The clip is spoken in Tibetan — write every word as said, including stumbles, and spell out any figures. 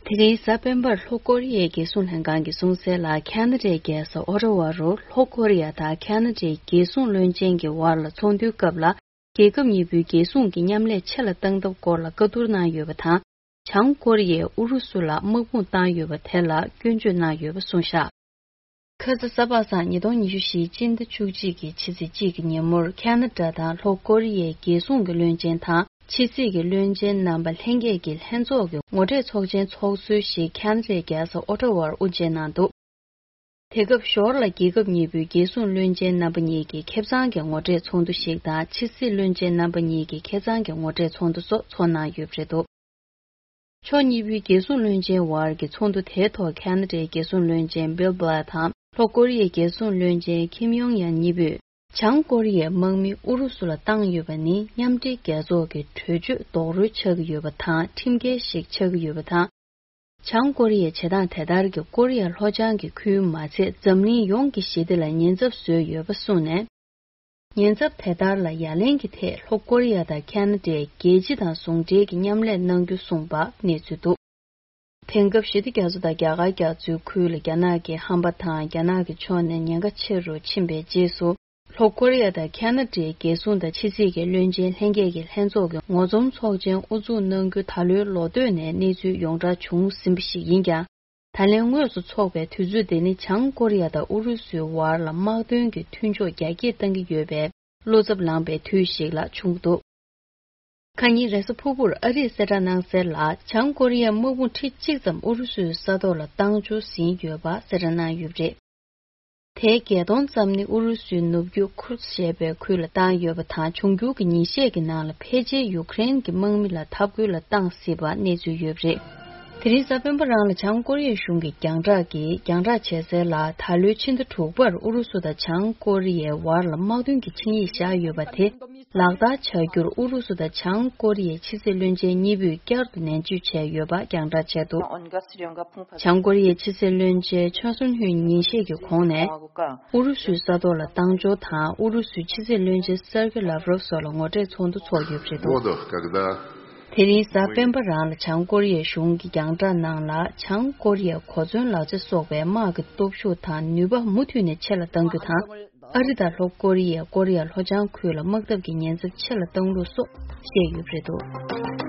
དེ་རིང་གཟའ་སྤེན་པར་ལྷོ་ཀོ་རི་ཡའི་རྒྱལ་སྲུང་ལྷན་ཁང་གིས་གསུངས་གསལ་ལ། ཁ་ན་ཌའི་རྒྱལ་ས་ཨོ་ཊ་ཝ་རུ་ལྷོ་ཀོ་རི་ཡ་དང་ཁ་ན་ཌའི་རྒྱལ་སྲུང་བློན་ཆེན་གྱི་བར་ལ་ཚོགས་འདུའི་སྐབས་ལ། རྒྱལ་ཁབ་གཉིས་པོའི་རྒྱལ་སྲུང་གི་མཉམ་ལས་ཆེ་ལ་གཏང་ཐབས་སྐོར་ལ་བཀའ་བསྡུར་གནང་ཡོད་པ་དང་། བྱང་ཀོ་རི་ཡས་ཨུ་རུ་སུ་ལ་དམག་དཔུང་བཏང་ཡོད་པ་དེ་ལ་སྐྱོན་བརྗོད་གནང་ཡོད་པ་གསུངས་བཞག་ཁ་ས་གཟའ་པ་སངས་ཉིས་སྟོང་ཉི་ཤུ་བཞིའི་སྤྱི་ཟླ་བཅུ་གཅིག་གི་ཕྱི་ཚེས་གཅིག་གི་ཉིན་མོར་ཁ་ན་ཌ་དང་ལྷོ་ཀོ་རི་ཡའི་རྒྱལ་སྲུང་གི་བློན་ཆེན་དང་ཕྱི་སྲིད་ཀྱི་བློན་ཆེན་རྣམ་པ་ལྷན་རྒྱས་ཀྱི་ལྷན་ཚོགས་ཀྱི་ངོ་འཕྲད་ཚོགས་ཆེན་ཚོགས་སྲོལ་ཞིག་ཁ་ན་ཌའི་རྒྱལ་ས་ཨོ་ཊ་ཝར་དབུ་འབྱེད་གནང་འདུག་དེ་སྐབས་ཞོར་ལ་རྒྱལ་ཁབ་གཉིས་པོའི་རྒྱལ་སྲུང་བློན་ཆེན་རྣམ་པ་གཉིས་ཀྱི་ཁེ་གཙང་གི་ངོ་འཕྲད་ཚོགས་འདུ་ཞིག་དང་ཕྱི་སྲིད་བློན་ཆེན་རྣམ་པ་གཉིས་ཀྱི་ཁེ་གཙང་གི་ངོ་འཕྲད་ཚོགས་འདུ་སོགས་ཚོགས་གནང་ཡོད་པ་རེད་འདུག་ཕྱོགས་གཉིས་པོའི་རྒྱལ་སྲུང་བློན་ཆེན་བར་གྱི་ཚོགས་འདུ་དེའི་ཐོག་ཁ་ན་ཌའི་རྒྱལ་སྲུང་བློན་ཆེན་བྷིལ་བྷ་ལ་དང་ལྷོ་ཀོ་རི་ཡའི་རྒྱལ་སྲུང་བློན་ཆེན་ཁིམ་ཡོང་ཡན་གཉིས་པོས། བྱང་ཀོ་རི་ཡའི་དམག་མི་ཨུ་རུ་སུ་ལ་བཏང་ཡོད་པ་ནི་མཉམ་འབྲེལ་རྒྱལ་ཚོགས་ཀྱི་གྲོས་ཆོད་རྡོག་རོལ་ཆགས་ཀྱི་ཡོད་པ་དང་ཁྲིམས་འགལ་ཞིག་ཆགས་ཀྱི་ཡོད་པ་དང་། བྱང་ཀོ་རི་ཡའི་བྱེད་སྟངས་དེ་ལྟར་གྱིས་ཀོ་རི་ཡ་ལྷོ་བྱང་གི་ཁུལ་མ་ཚད་འཛམ་གླིང་ཡོངས་ཀྱི་ཞི་བདེ་ལ་ཉེན་ཚབས་བཟོས་ཡོད་པ་གསུངས་ནས། ཉེན་ཚབས་དེ་ལྟར་ལ་ཡ་ལན་གྱི་ཐད་ལྷོ་ཀོ་རི་ཡ་དང་ཁ་ན་ཌས་རྒྱལ་སྤྱི་དང་ཟུང་འབྲེལ་གྱི་མཉམ་ལས་གནང་རྒྱུ་གསུངས་པ་གནས་ཚུལ་འདུག་དེང་སྐབས་ཞི་བདེ་རྒྱ་མཚོ་དང་རྒྱ་གར་རྒྱ་མཚོའི་ཁུལ་ལ་རྒྱ་ནག་གི་ཧམ་པ་དང་རྒྱ་ནག་གི་ཕྱོགས་ནས་ཉེན་ཁ་ཆེ་རུ་ཕྱིན་པའི་རྗེས་སུ། ལྷོ་ཀོ་རི་ཡ་དང་ཁ་ན་ཌའི་རྒྱལ་སྲུང་དང་ཕྱི་སྲིད་ཀྱི་བློན་ཆེན་ལྷན་རྒྱས་ཀྱི་ལྷན་ཚོགས་ཀྱི་ངོ་འཛོམས་ཚོགས་ཆེན་དབུ་འཛུགས་གནང་རྒྱུ་ད་ལོའི་ལོ་སྟོད་ནས་གནས་ཚུལ་ཡོངས་གྲགས་བྱུང་ཟིན་པ་ཞིག་ཡིན་ཀྱང་། ད་ལན་དངོས་སུ་འཚོགས་པའི་དུས་ཚོད་དེ་ནི་བྱང་ཀོ་རི་ཡ་དང་ཨུ་རུ་སུའི་བར་ལ་དམག་དོན་གྱི་མཐུན་ཕྱོགས་རྒྱ་སྐྱེད་གཏང་གི་ཡོད་པའི་བློ་འཚབ་ལངས་པའི་དུས་ཤིག་ལ་བྱུང་འདུག་ཁ་ཉིན་རེས་གཟའ་ཕུར་བུར་ཨ་རིས་གསལ་བསྒྲགས་གནང་གསལ་ལ། བྱང་ཀོ་རི་ཡས་དམག་དཔུང་ཁྲི་གཅིག་ཙམ་ཨུ་རུ་སུའི་ས་ཐོག་ལ་བཏང་འབྱོར་ཟིན་ཡོད་པ་གསལ་བསྒྲགས་གནང་ཡོད་པ་རེད། དེའི་བརྒྱད་སྟོང་ཙམ་ནི་ཨུ་རུ་སུའི་ནུབ་རྒྱུད་ཁུར་ཞེས་པའི་ཁུལ་ལ་བཏང་ཡོད་པ་དང་། འབྱུང་འགྱུར་གྱི་ཉིན་ཤས་ཀྱི་ནང་ལ་ཕལ་ཆེར་ཡུ་ཀེ་རེན་གྱི་དམག་མི་ལ་འཐབ་རྒོལ་ལ་བཏང་སྲིད་པ་གནས་ཚུལ་ཡོད་པ་རེད། དེ་རིང་གཟའ་སྤེན་པ་རང་ལ་བྱང་ཀོ་རི་ཡ་གཞུང་གིས་རྒྱང་བསྒྲགས་ཀྱིས་རྒྱང་བསྒྲགས་བྱས་གསལ་ལ། ད་ལོའི་ཕྱི་ཟླ་དྲུག་པར་ཨུ་རུ་སུ་དང་བྱང་ཀོ་རི་ཡའི་བར་ལ་དམག་དོན་གྱི་ཆིངས་ཡིག་བཞག་ཡོད་པ་དེ་ལག་བསྟར་བྱ་རྒྱུར་ཨུ་རུ་སུ་དང་བྱང་ཀོ་རི་ཡའི་ཕྱི་སྲིད་བློན་ཆེན་གཉིས་པོས་བསྐྱར་དུ་ནན་བརྗོད་བྱས་ཡོད་པ་རྒྱང་བསྒྲགས་བྱས་འདུག་བྱང་ཀོ་རི་ཡའི་ཕྱི་སྲིད་བློན་ཆེན་ཆོན་སུན་ཧུས་ཉིན་ཤས་ཀྱི་གོང་ནས་ཨུ་རུ་སུའི་ས་ཐོག་ལ་བཏང་འབྱོར་དང་ཨུ་རུ་སུའི་ཕྱི་སྲིད་བློན་ཆེན་སེར་གེ་ལབ་རོབ་སོགས་ལ་ངོ་འཕྲད་ཚོགས་འདུ་འཚོགས་ཡོད་པ་རེད་འདུག་དེ་རིང་གཟའ་སྤེན་པ་རང་ལ་བྱང་ཀོ་རི་ཡའི་གཞུང་གིས་རྒྱང་བསྒྲགས་ནང་ལ། བྱང་ཀོ་རི་ཡས་གོ་མཚོན་ལག་ཆ་སོགས་པའི་དམག་གི་སྟོབས་ཤུགས་དང་ནུས་པ་མུ་མཐུད་ནས་ཆེ་ལ་གཏང་རྒྱུ་དང་། ཨ་རི་དང་ལྷོ་ཀོ་རི་ཡས་ཀོ་རི་ཡ་ལྷོ་བྱང་ཁུལ་ལ་དམག་འཐབ་ཀྱི་ཉེན་ཚབས་ཆེ་ལ་གཏང་ལུགས་སོགས་བཤད་ཡོད་པ་རེད་འདུག